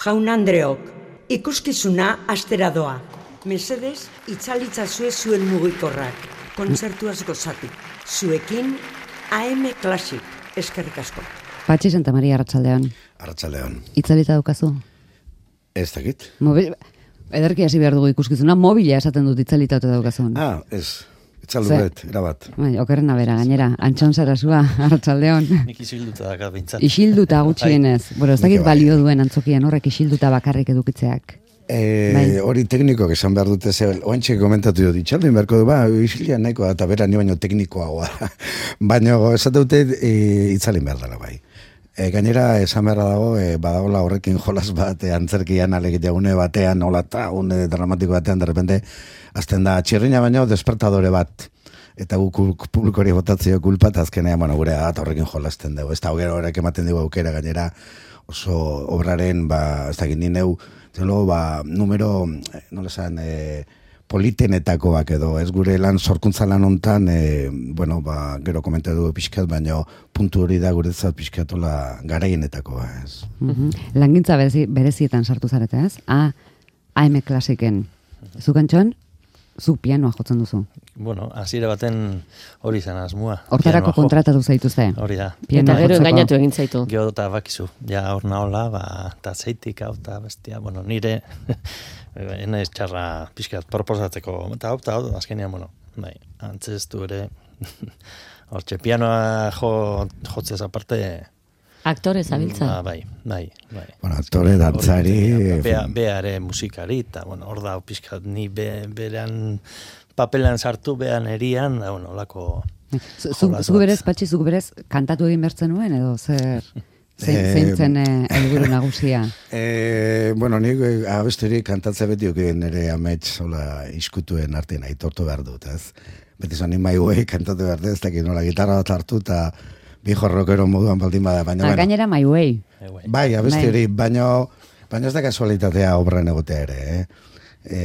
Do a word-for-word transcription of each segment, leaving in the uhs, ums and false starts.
Jaun Andreok, ikuskizuna astera doa. Mesedez, itzalitzazue zuen mugikorrak. Kontzertuaz gozatu. Zuekin, A M Classic. Eskerrik asko. Patxi Santa Maria, Arratsaldeon. Arratsaldeon. Itzalita daukazu? Ez dakit. Mobil... Ederki hasi behar dugu ikuskizuna, mobila esaten dut itzalita daukazun. Ah, ez. Itzalduet, erabat. Bai, okerrena bera, gainera. Antxon Sarasua, Arratsaldeon. Nik isilduta dakat bintzat. Isilduta gutxienez. Bueno, ez dakit balio duen antzokian horrek isilduta bakarrik edukitzeak. E, hori teknikoak esan behar dute ze, oantxe komentatu dut, itxaldin beharko du, ba, isilia nahiko da, eta bera ni baino teknikoagoa. Baina esate dute e, itzalin behar dela bai. E, gainera, esan beharra dago, e, badagola horrekin jolas bat, e, antzerkian alegitea une batean, hola eta une dramatiko batean, derrepente, azten da, txirrina baino, despertadore bat. Eta guk publikori botatzeo kulpa, eta azkenean, bueno, gure eta horrekin jolasten dugu. Ez da, horrek ematen dugu aukera, gainera, oso obraren, ba, ez da, gini neu, zelo, ba, numero, nola esan, e, politenetakoak edo, ez gure lan sorkuntza lan hontan, e, bueno, ba, gero komentu dugu pixkat, baina puntu hori da guretzat pixkatola garaienetakoa, ez. Mm-hmm. Langintza berezi, berezietan sartu zarete, ez? A, A M Classicen. Zuk Antxon, zuk pianoa jotzen duzu. Bueno, hasiera baten hori zen asmua. Hortarako kontratatu zaituzte. Hori da. Pianoa eta gero jotzeko. engainatu egin zaitu. Gero eta bakizu, ja hor nahola, ba, eta zeitik hau, eta bestia, bueno, nire, enaiz txarra pixkat proposatzeko, eta hau, eta hau, azkenean, bueno, bai, antzestu ere, hortxe, pianoa jo, jotzez aparte, Aktore zabiltza. ba, bai, bai, bai. Bueno, aktore, dantzari... Bea, beare musikari, eta, bueno, hor da, pixkat, ni be, berean papelan sartu, bean erian, da, bueno, olako... Zuk berez, Patxi, zuk berez, kantatu egin bertzen nuen, edo zer... Zein zen helburu nagusia? E, bueno, nik abesteri kantatze beti oke nire amets hola iskutuen artean aitortu behar dut, ez? Beti zan My Way kantatu behar dut, ez dakit nola gitarra bat hartu eta bi jorrokero moduan baldin bada, baina... Ah, gainera My Way. Bai, abesteri, baina baina ez da kasualitatea obran egotea ere, eh? E,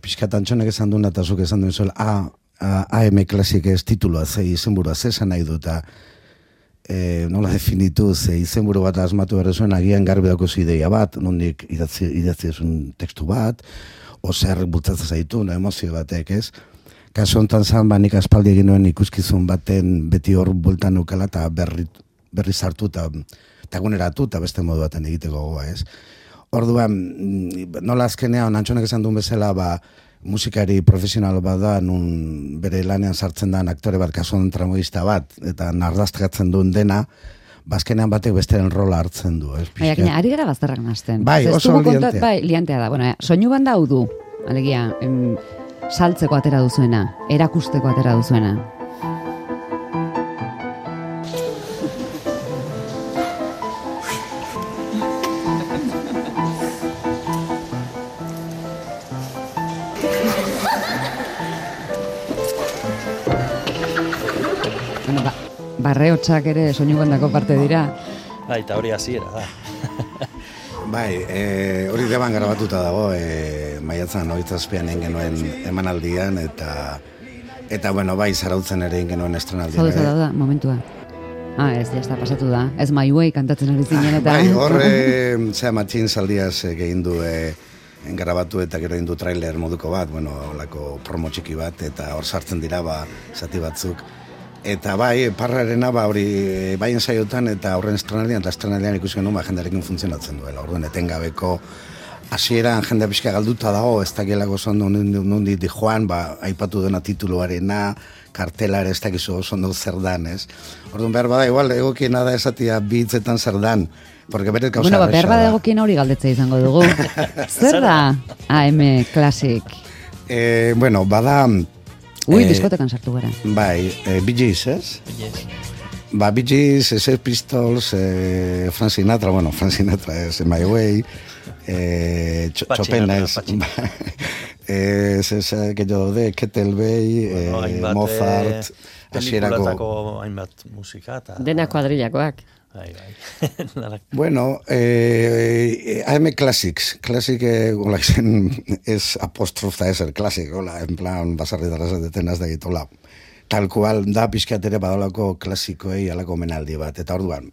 Piskat Antxonek esan duen eta zuk esan duen zuela A, A M Classic ez titulua, ze izenburua, ze esan nahi dut, E, nola definitu, ze izenburu bat asmatu behar zuen, agian garbi dauko ideia bat, nondik idatzi, idatzi esun tekstu bat, ozer bultzatzen zaitu, no, emozio batek, ez? Kasu honetan zan, ba, nik aspaldi egin nuen ikuskizun baten beti hor bultan nukela, eta berri, berri sartu, eta guneratu, eta beste modu baten egiteko gogoa, ez? Orduan, nola azkenean, Antxonek esan duen bezala, ba, musikari profesional bat da, nun bere lanean sartzen da aktore bat, kasuan tramoista bat, eta nardaztekatzen duen dena, bazkenean batek besteren rola hartzen du. Baina, ari gara bazterrak nazten. Bai, oso liantea. Bai, liantea da. Bueno, soinu banda hau du, alegia, em, saltzeko atera duzuena, erakusteko atera duzuena. Barreotxak ere soinu bandako parte dira. Bai, eta hori hasiera da. Bai, e, hori deban grabatuta dago, e, maiatzan hogeita egin genuen emanaldian, eta eta bueno, bai, zarautzen ere egin genuen estrenaldian. Zaude da, momentua. Ah, ez, jazta, pasatu da. Ez My Way kantatzen ari zinen eta... Bai, horre, zera matxin zaldiaz egin du e, grabatu eta gero egin du trailer moduko bat, bueno, olako promo txiki bat, eta hor sartzen dira, ba, zati batzuk. Eta bai, parrarena, ba, hori baien saiotan eta horren estrenaldian, eta estrenaldian ikusi genuen, ba, jendarekin funtzionatzen duela. Orduan, etengabeko hasieran jende pixka galduta dago, ez dakielako zondo nundi di joan, ba, aipatu dena tituluarena, kartelare, ez dakizu zondo zer dan, ez? Orduan, behar bada, igual, egokiena da esatia bi hitzetan zer dan, porque beret gauza bueno, ba, behar bada egokiena hori galdetzea izango dugu. Zer da A M Classic? Eh, bueno, bada... Ui, eh, diskotekan sartu gara. Bai, eh, Bee Gees, ez? Bee Gees. Ba, Bee Gees, Sex Pistols, eh, Frank Sinatra, bueno, Frank Sinatra es My Way, eh, Chopin es, eh, es que yo de Kettlebell, eh, bueno, Mozart, pelikulatako hainbat musika. Ta... Dena kuadrillakoak. Bai, bai. Bueno, eh, A M Classics, Classic, eh, hola, es apóstrofa, es el clásico, hola, en plan, basarri darras de tenas de gitola. Tal cual, da pixkat ere badolako klasikoei alako menaldi bat, eta orduan,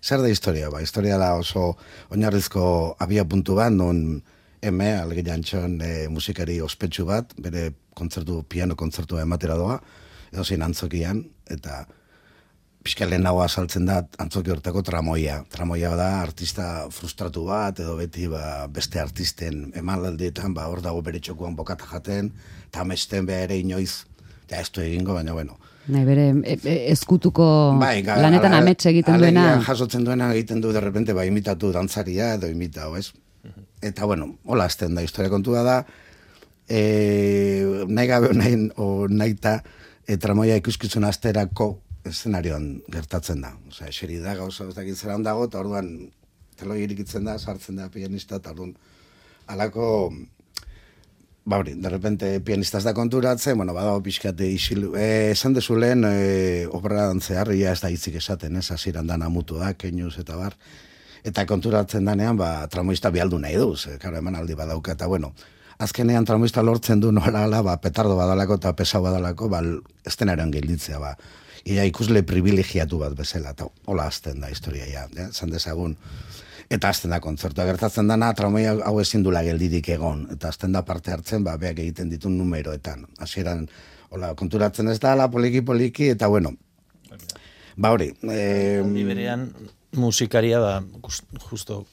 Zer da historia? Ba, historia da oso oinarrizko abia puntu bat, non eme, alge jantxon e, musikari ospetsu bat, bere kontzertu, piano kontzertua ematera doa, edo zein antzokian, eta pixka lehen nagoa saltzen da antzoki hortako tramoia. Tramoia da artista frustratu bat, edo beti ba, beste artisten emanaldietan, ba, hor dago bere txokuan bokata jaten, eta amesten beha ere inoiz, ja ez du egingo, baina bueno. Nahi bere e, e, ezkutuko bai, ga, lanetan ala, amets egiten duena. Alegia jasotzen duena egiten du derrepente, ba, imitatu dantzaria edo imitau, ez? Eta bueno, hola azten da, historia kontua da, e, nahi gabe nahi, o nahi ta, e, tramoia ikuskizun asterako eszenarioan gertatzen da. Osea, eseri da, gauza ez dakit zera ondago, eta orduan teloi irikitzen da, sartzen da pianista, eta orduan alako, ba hori, derrepente pianista ez da konturatzen, bueno, badago pixkate isilu, e, esan dezu lehen, e, obra dantzear, ia ez da hitzik esaten, ez, hasieran da namutu da, keinuz eta bar, eta konturatzen danean, ba, tramoista bialdu nahi duz, e, karo, eman aldi badauka, eta bueno, azkenean tramoista lortzen du nola, ala, ba, petardo badalako eta pesau badalako, ba, estenaren gelditzea, ba, ia ikusle privilegiatu bat bezala, eta hola azten da historia, ja, ja, zan dezagun. Eta azten da kontzertua gertatzen dana, tramoia hau ezin dula geldirik egon, eta azten da parte hartzen, ba, beak egiten ditu numeroetan. Hasieran, hola, konturatzen ez da, la poliki-poliki, eta bueno, ba hori. Eh, berean, musikaria, ba, justo,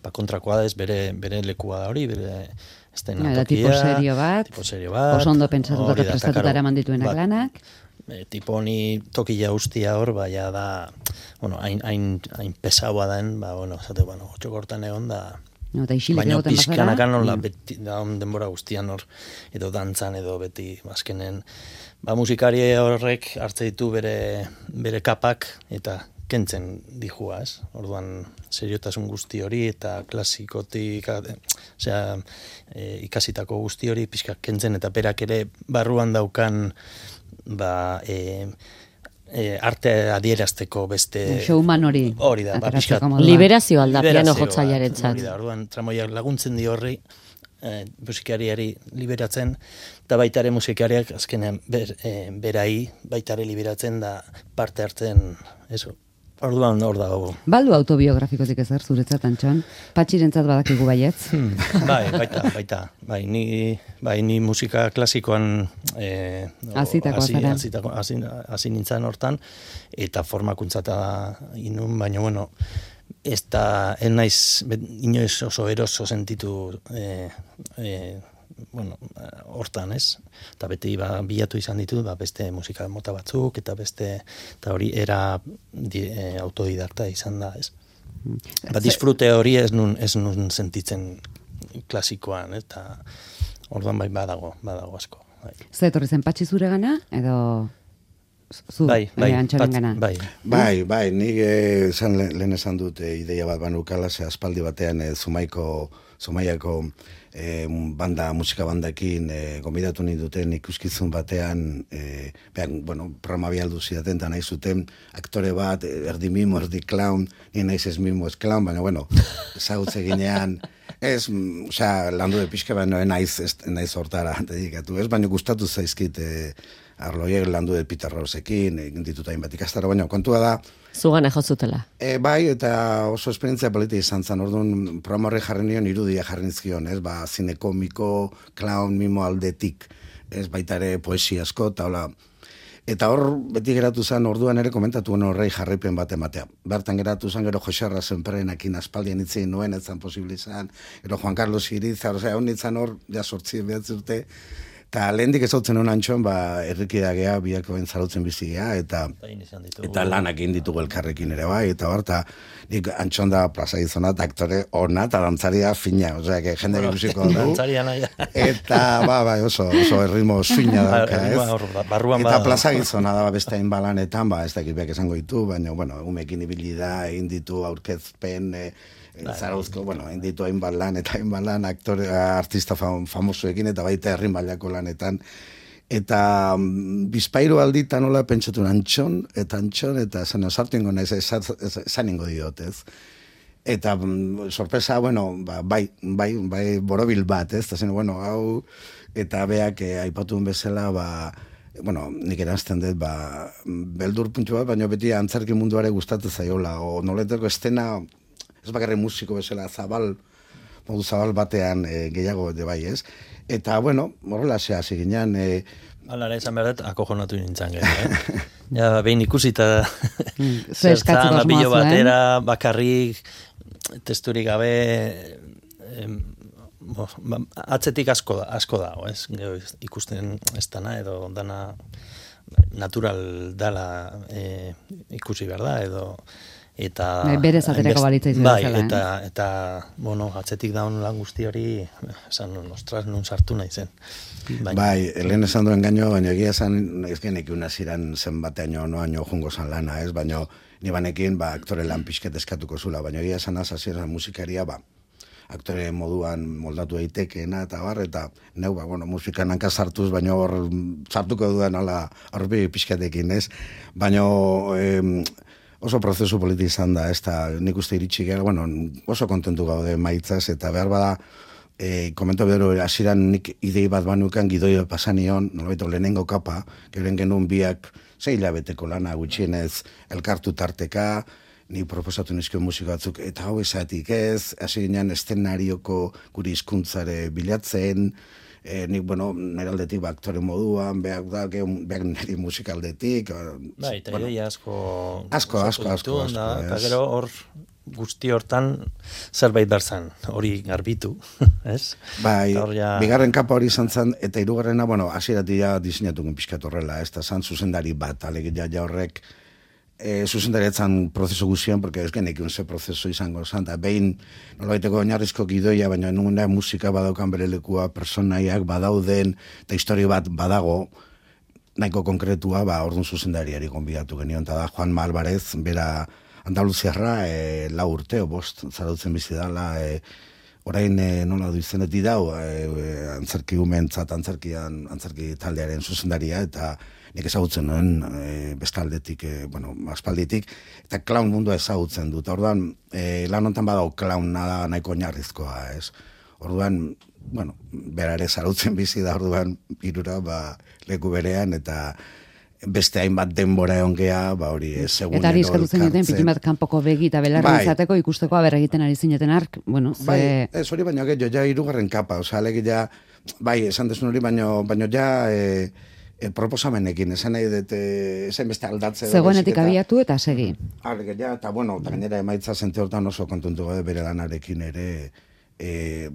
ba, kontrakoa da ez, bere, bere lekua da hori, bere estenatokia. Tipo serio bat, tipo serio bat, oso ondo pentsatuta eta prestatuta eraman dituenak lanak. E, tipo honi tokila ustia hor, baina da, bueno, hain, hain, hain pesaua den, ba, bueno, zate, bueno, txokortan egon da, no, baina pixkanakan hola, beti, da denbora guztian hor, edo dantzan, edo beti, azkenen, ba, musikari horrek hartze ditu bere, bere kapak, eta kentzen dijua, ez? Orduan, seriotasun guzti hori, eta klasikotik, osea, e, ikasitako guzti hori, pixka kentzen, eta berak ere barruan daukan, ba, e, e, arte adierazteko beste... Showman hori. Hori da, ba, pixka... Liberazio alda, piano jotzaiarentzat. Hori da, orduan, tramoiak laguntzen di horri, e, musikariari liberatzen, eta baitare musikariak, azkenean, ber, e, berai, baitare liberatzen da parte hartzen, eso, orduan hor dago. Baldu autobiografikotik ezer, zuretzat, Antxon? Patxirentzat badakigu baietz? Hmm, bai, baita, baita. Bai, ni, bai, ni musika klasikoan eh, azitako azara. Hasi nintzen hortan, eta formakuntzata inun, baina, bueno, ez da, ez naiz, inoiz oso eroso sentitu eh, eh, bueno, hortan, ez? Eta beti ba, bilatu izan ditu, ba, beste musika mota batzuk, eta beste, eta hori era di, e, autodidakta izan da, ez? Ba, disfrute hori ez nun, ez nun sentitzen klasikoan, eta orduan bai badago, badago asko. Bai. Zer etorri zen patxi zure gana, edo zu, bai, bai, Antxoren gana? Bai, bai, bai, nik esan, lehen esan dut e, ideia bat banukala, ze aspaldi batean e, Zumaiko, Zumaiako E, banda, musika bandakin e, gombidatu nahi duten ikuskizun batean e, behan, bueno, programa bialdu zidaten eta nahi zuten aktore bat, erdi mimo, erdi clown, ni naiz ez mimo ez clown, baina bueno, ezagutze ginean ez, osea, landu de pixka baina naiz, ez, naiz hortara dedikatu, ez, baina gustatu zaizkit e, arloiek landu de Peter Rosekin, egin ditut hainbat ikastaro, baina kontua da Zugana jozutela. E, bai, eta oso esperientzia politi izan zen, orduan programa horri jarri nion irudia jarri nizkion, ez, ba, zine komiko, clown, mimo aldetik, ez, baita ere poesia asko, eta hola, eta hor beti geratu zen, orduan ere komentatu horrei jarraipen bat ematea. Bertan geratu zen, gero Joserra zenperenakin aspaldian itzien nuen, ez zen posible izan, gero Juan Carlos Iriza, osea, hon nintzen hor, ja sortzi behatzi urte, eta lehendik ezautzen hon Antxon, ba, errikidagea, biako entzarautzen bizigea, eta, eta lanak egin ditugu elkarrekin ere bai, eta hor, eta nik Antxon da plaza gizona, eta aktore ona, eta dantzaria fina, osea, que jende bueno, ikusiko du. Dantzaria nahi. Eta, ba, ba, oso, oso erritmo suina dauka, ez? Barruan eta plaza gizona da, beste hain balanetan, ba, ez dakit beak esango ditu, baina, bueno, umekin ibili da, egin ditu aurkezpen, e, Zarauzko, bueno, hain ditu hainbat lan eta hainbat lan aktore, artista fam, famosuekin eta baita herrin mailako lanetan. Eta mm, bizpairu alditan nola pentsatu Antxon, eta Antxon, eta zen osartu ingo naiz, esan ingo diot, ez. Eta mm, sorpresa, bueno, ba, bai, bai, bai, borobil bat, ez, eta zen, bueno, hau, eta beak eh, aipatuen bezala, ba, bueno, nik eranzten dut, ba, beldur puntu bat, baina beti antzerki munduare gustatzen zaiola, o noleteko estena, ez bakarri musiko bezala zabal, modu zabal batean e, gehiago de bai, ez? Eta, bueno, horrela zea, ziginean... E, Alara esan behar dut, akojonatu nintzen gero, eh? Ja, behin ikusita Mm, zertan asmoa apillo zuen. batera, bakarrik, testurik gabe, em, bo, ba, atzetik asko da, asko dago, ez? Gero ikusten ez dana, edo dana natural dala e, ikusi behar da, edo eta Bai, berez aterako hainbest- balitza izan bai, bezala, eh? eta, eta, bueno, atzetik daun lan guzti hori, esan, ostras, nun sartu nahi zen. Baina, Bai, lehen esan duen gaino, baina egia esan, ez genek unaziran zenbateaino, noaino jungo zan lana, ez? Baina ni banekin, ba, aktore lan pixket eskatuko zula, baina egia esan azazieran musikaria, ba, aktore moduan moldatu daitekeena eta bar, eta neu, ba, bueno, musikan hanka sartuz, baina hor sartuko dudan ala horbi pixkatekin, ez? Baina em, oso prozesu politi izan da, ez da, nik uste iritsi gara, bueno, oso kontentu gaude maitzaz, eta behar bada, E, komento bero, hasieran nik idei bat banukan gidoio pasanion, nolabait lehenengo kapa, geuren genuen biak zei hilabeteko lana gutxienez elkartu tarteka, ni proposatu nizkio musika batzuk, eta hau esatik ez, hasi ginen eszenarioko guri hizkuntzare bilatzen, e, nik, bueno, nire aldetik ba, aktore moduan, behak da, behak niri musikaldetik. bai, eta bueno, ideia asko... asko, asko, osatu asko, ditu, asko, da, eta ez. gero hor guzti hortan zerbait berzan, hori garbitu, ez? Bai, Eta hor ja- bigarren kapa hori izan zen, eta hirugarrena, bueno, hasieratik ja diseinatugun pixkat horrela, ez da zan zuzendari bat, alegia ja horrek e, zuzendariatzen prozesu guztian, porque ez genek ze prozesu izango zan, eta behin nolabaiteko oinarrizko gidoia, baina nunguna musika badaukan bere lekua, personaiak badauden, eta historia bat badago, nahiko konkretua, ba, orduan zuzendariari gonbidatu genion, eta da Juan Malvarez, bera Andaluziarra, e, lau urte, o bost, zarautzen bizi dala, e, orain e, nola du izenetik dau, e, e, antzerki umentzat, antzerkian, antzerki taldearen zuzendaria, eta nik ezagutzen nuen e, bestaldetik, e, bueno, aspalditik, eta clown mundua ezagutzen dut. Orduan, e, lan hontan badau clown nada nahiko oinarrizkoa, ez? Orduan, bueno, berare zarautzen bizi da, orduan, irura, ba, leku berean, eta beste hainbat denbora egon gea, ba hori, segunero Eta hori eskatu zenuten, elkartzen. pikin bat kanpoko begi eta belarri Bai. izateko ikusteko aber egiten ari zineten ark, bueno, ze... Bai, ez hori baino gehiago, ja hirugarren kapa, osea, alegia, bai, esan desun hori, baino, baino ja e, e, proposamenekin, esan nahi dut, e, esan beste aldatze. Zegoenetik abiatu eta segi. Alegia, eta bueno, eta gainera emaitza zente hortan oso kontentu gaude bere lanarekin ere, e,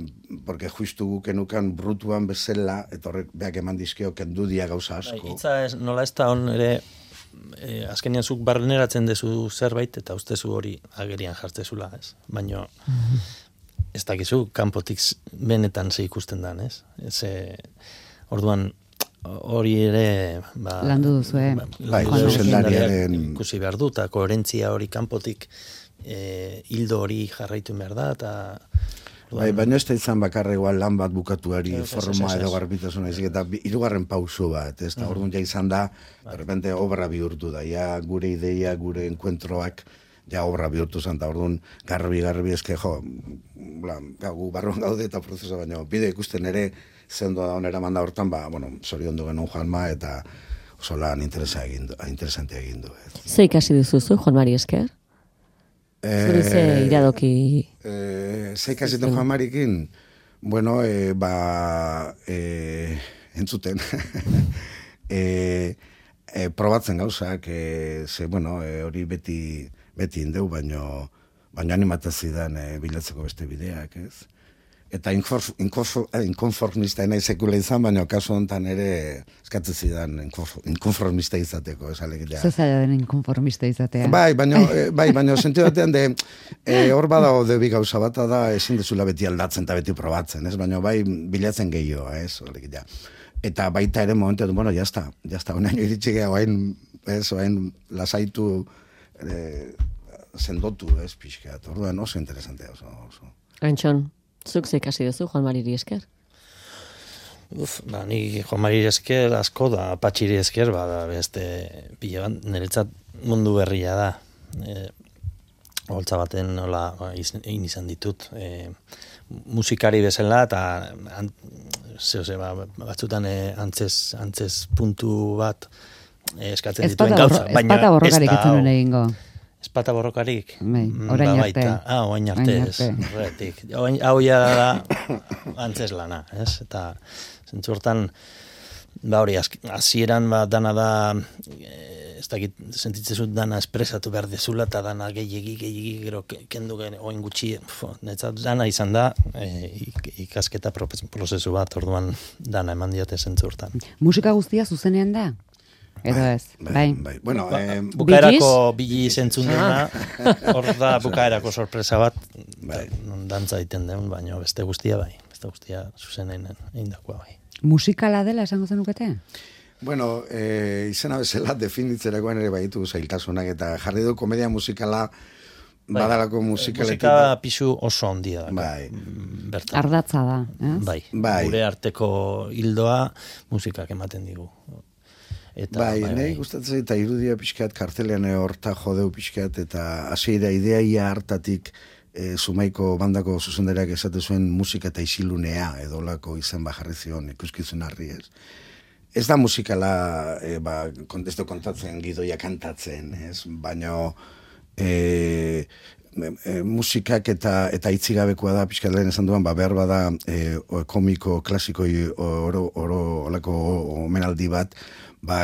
porque justu gukenukan brutuan bezala, eta horrek beak eman dizkio kendu dia gauza Bai, asko. hitza ez, nola ez da hon ere, e, azkenean zuk barneratzen dezu zerbait, eta ustezu hori agerian jartzezula, ez? Baina, ez dakizu, kanpotik z- benetan ze ikusten dan, ez? Ze, orduan, hori ere, ba... Landu duzue, ba, Bai, landu duzu, zuzendariaren- zuzendariak ikusi behar du, eta koherentzia hori kanpotik, e, hildo hori jarraitu behar da, eta... Bai, baina ez da izan bakarra igual lan bat bukatuari Ez, ez, forma ez, ez. edo garbitasuna izik, eta bi- hirugarren pauso bat, ez da, orduan ja izan da, de repente obra bihurtu da, ja gure ideia, gure enkuentroak, ja obra bihurtu zen, eta orduan garbi, garbi, eske, jo, bla, gu barruan gaude eta prozesu, baina bide ikusten ere, zendo da onera manda hortan, ba, bueno, zoriondu genuen Juanma, eta oso lan interesa egin du, interesantea egin du. Ez. Ze ikasi duzuzu, Juan Mari Esker? Zuri ze iradoki... Eh, ze ikasito Juan Marikin, bueno, eh, ba, eh, entzuten, eh, eh, probatzen gauzak, eh, ze, bueno, eh, hori beti, beti indeu, baino, baino animatazidan eh, bilatzeko beste bideak, ez? Eta inkonfor- inkonfor- eh, inkonformista nahi sekula izan, baina kasu honetan ere eskatzen zidan inkonfor- inkonformista izateko, ez alegia. Ze zaila den inkonformista izatea. Bai, baina eh, bai, baina sentidu batean de eh, hor badago de bi gauza bata da ezin dezula beti aldatzen eta beti probatzen, ez? Baina bai bilatzen gehiago, ez? Alegia. Eta baita ere momentu, bueno, ya está, ya está, onaino iritsi geha, oain, ez, oain lasaitu eh, sendotu, ez, pixkat. Orduan oso interesantea, oso, oso. Antxon, zuk ze ikasi duzu, Juan Mari Esker? Uf, ba, ni Juan Mari Esker asko da, Patxiri Esker, ba, da, beste pila bat, niretzat mundu berria da. E, holtza baten nola ba, iz- egin izan ditut. E, musikari bezala, eta an, zeo ze, ba, batzutan eh, antzez, antzez puntu bat eh, eskatzen dituen gauza. Ez pata borrokarik ez zenuen egingo. Ez pata borrokarik? Bai, orain ba, arte. Ah, orain arte, ez. Horretik. Hau ja da antzez lana, ez? Eta zentzu hortan, ba hori, hasieran ba, dana da, ez dakit, sentitzezut dana espresatu behar dezula, eta dana gehiagi, gehiagi, gero kendu gen, oin gutxi, netzat dana izan da, e, ikasketa prozesu bat, orduan dana eman diote zentzu hortan. Musika guztia zuzenean da? Edo ez, bai. bai. Bueno, eh, bukaerako bili zentzun dena, hor da bukaerako sorpresa bat, bai. Dantza egiten den, baina beste guztia bai, beste guztia zuzenen eindakoa bai. Musikala dela esango zenukete? Bueno, eh, izena bezala definitzerakoan ere baitu zailtasunak, eta jarri du komedia musikala, bai. Badalako musikaletik. Musika pisu oso ondia da. Bai. Bertan. Ardatza da, ez? Bai. Bai. Gure arteko hildoa musikak ematen digu. Eta, bai, bai, nahi bai. gustatzen eta irudia pixkat kartelean horta jodeu pixkat, eta hasiera ideaia hartatik e, Zumaiko bandako zuzenderak esate zuen musika eta isilunea edolako izan bajarri zion ikuskizun harri ez. Ez da musikala, e, ba, kontesto kontatzen, gidoia kantatzen, ez? Baina e, e, musikak eta eta itzigabekoa da pixkat lehen esan duan, ba, behar bada e, komiko, klasiko oro, oro olako omenaldi bat, ba,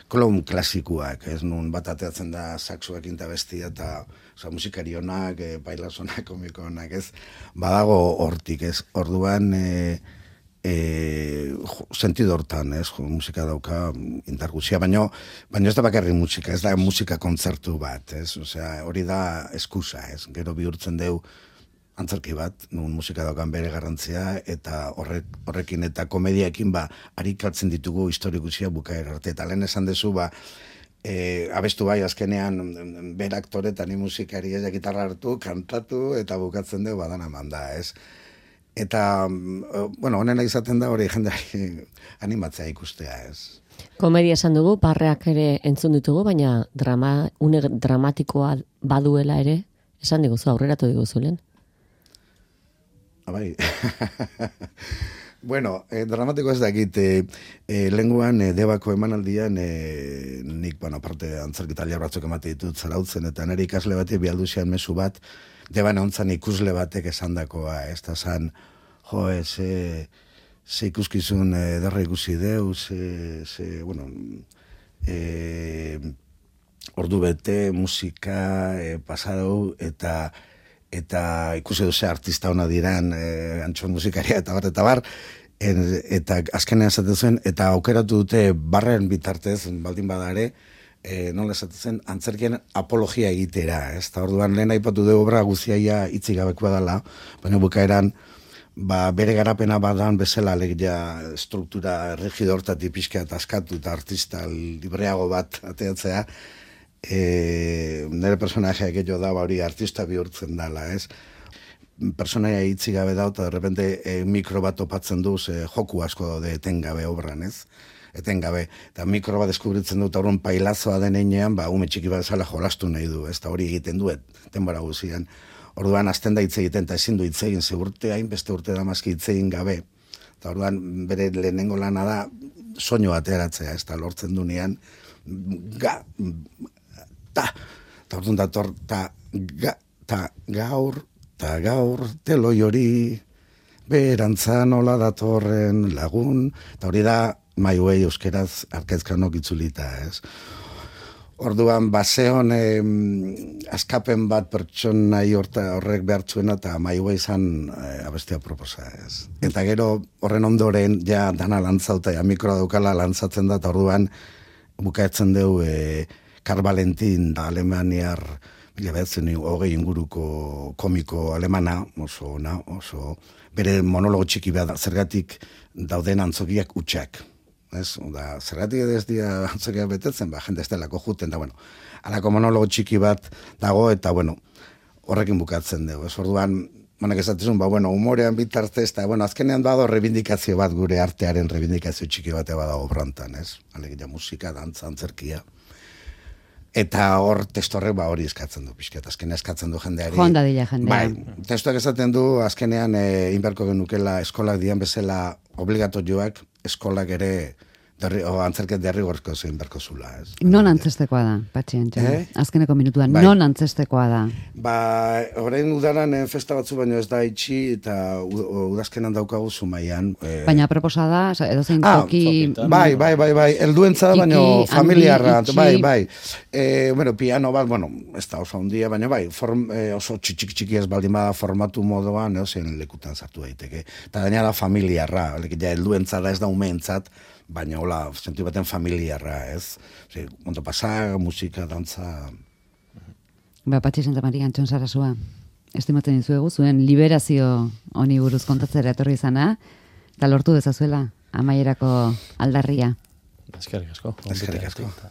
klon klasikoak, ez nun bat ateatzen da saxoak inta bestia eta oza, musikarionak, e, bailasonak, komikonak, ez, badago hortik, ez, orduan e, e, sentido hortan, ez, jo, musika dauka indarguzia, baino, baino ez da bakarri musika, ez da musika kontzertu bat, ez, osea, hori da eskusa, ez, gero bihurtzen deu antzerki bat, nun musika daukan bere garrantzia, eta horrek, horrekin eta komediaekin ba, harikatzen ditugu historikusia bukaera arte. Eta lehen esan dezu, ba, e, abestu bai, azkenean bere aktore eta ni musikari ez gitarra hartu, kantatu, eta bukatzen dugu badana manda, ez? Eta, bueno, honena izaten da hori jendeari animatzea ikustea, ez? Komedia esan dugu, barreak ere entzun ditugu, baina drama, une dramatikoa baduela ere, esan diguzu, aurreratu diguzu lehen. Bai. Bueno, eh, dramatiko ez dakit, eh, eh, lenguan eh, debako emanaldian, eh, nik, bueno, aparte antzerkitalia batzuk emate ditut zarautzen, eta nire ikasle batek bialduzian mezu bat, deban ontzan ikusle batek esandakoa, ez da zan, jo, ze, ze ikuskizun eh, derra ikusi deu, ze, ze bueno, eh, ordu bete, musika, eh, pasadou, eta eta ikusi duze artista ona diran, e, antxon musikaria eta bar, eta bar, en, eta azkenean esaten zuen, eta aukeratu dute barren bitartez, baldin badare, e, nola esaten zen, antzerkien apologia egitera, ez? Eta orduan lehen aipatu du obra guztiaia hitzik gabekoa dela, baina bukaeran, ba, bere garapena badan bezala alegia struktura rigido hortatik pixka eta askatu eta artista libreago bat ateatzea, E, nire personajeak edo da hori artista bihurtzen dala, ez? Personaia hitzik gabe da, eta derrepente e, mikro bat topatzen duz, e, joku asko daude etengabe obran, ez? Etengabe, eta mikro bat deskubritzen dut aurrun pailazoa den einean, ba, ume txiki bat zala jolastu nahi du, ez? Eta hori egiten duet, denbora guzian. Orduan, azten da hitz egiten, eta ezin du hitz egin, ze urte hain, beste urte da mazki hitz egin gabe. Eta orduan, bere lehenengo lana da, soinu ateratzea, ez da lortzen dunean, ga, ta, ta orduan dator, ta, ga, ta, gaur, ta gaur, teloi hori, berantza nola datorren lagun, eta hori da, maiuei euskeraz arkezkanok itzulita, ez? Orduan, baseon eh, askapen bat pertsonai horrek behartzuena eta maiua izan eh, abestia proposa, ez. Eta gero horren ondoren, ja dana lantzauta, ja mikroa daukala lantzatzen da, eta orduan bukaetzen dugu eh, Karl Valentin, alemaniar, mila behatzen hogei inguruko komiko alemana, oso ona, oso bere monologo txiki behar, zergatik dauden antzokiak utxak. Ez, da, zergatik ez dira antzokiak betetzen, ba, jende ez delako juten, da, bueno, alako monologo txiki bat dago, eta, bueno, horrekin bukatzen dugu. Ez, orduan, manak esatizun, ba, bueno, humorean bitartez, eta, bueno, azkenean dago rebindikazio bat, gure artearen rebindikazio txiki bate badago brantan, ez? Alegia musika, dantza, antzerkia. Eta hor testorrek ba hori eskatzen du pixkat, azkenean eskatzen du jendeari. Joan dadila jendea. Bai, testuak esaten du azkenean e, inberko genukela eskolak dian bezala obligatorioak eskolak ere derri, o, antzerket derrigorko zein berko zula. Ez? Non antzestekoa da, Patxi Antxon? Eh? Azkeneko minutuan, Bai. non antzestekoa da? Ba, orain udaran eh, festa batzu baino ez da itxi eta u- udazkenan daukagu Zumaian. Eh, Baina proposa da, edo zein Ah, toki... bai, bai, bai, bai, helduentza da, Txiki, baino handi, familiarra, itxi. bai, bai. E, bueno, piano bat, bueno, ez da oso handia, baina bai, form, e, oso txiki txiki ez baldin bada formatu moduan, eozein lekutan sartu daiteke. Eta gainera familiarra, ja, helduentza da ez da umeentzat, baina hola, sentu baten familiarra, ez? Ose, ondo pasa, musika, dantza... Ba, Patxi Santa Maria Antxon Sarasua, estimatzen dizuegu, zuen liberazio honi buruz kontatzera etorri izana, eta lortu dezazuela, amaierako aldarria. Eskerrik asko. Eskerrik asko. Eta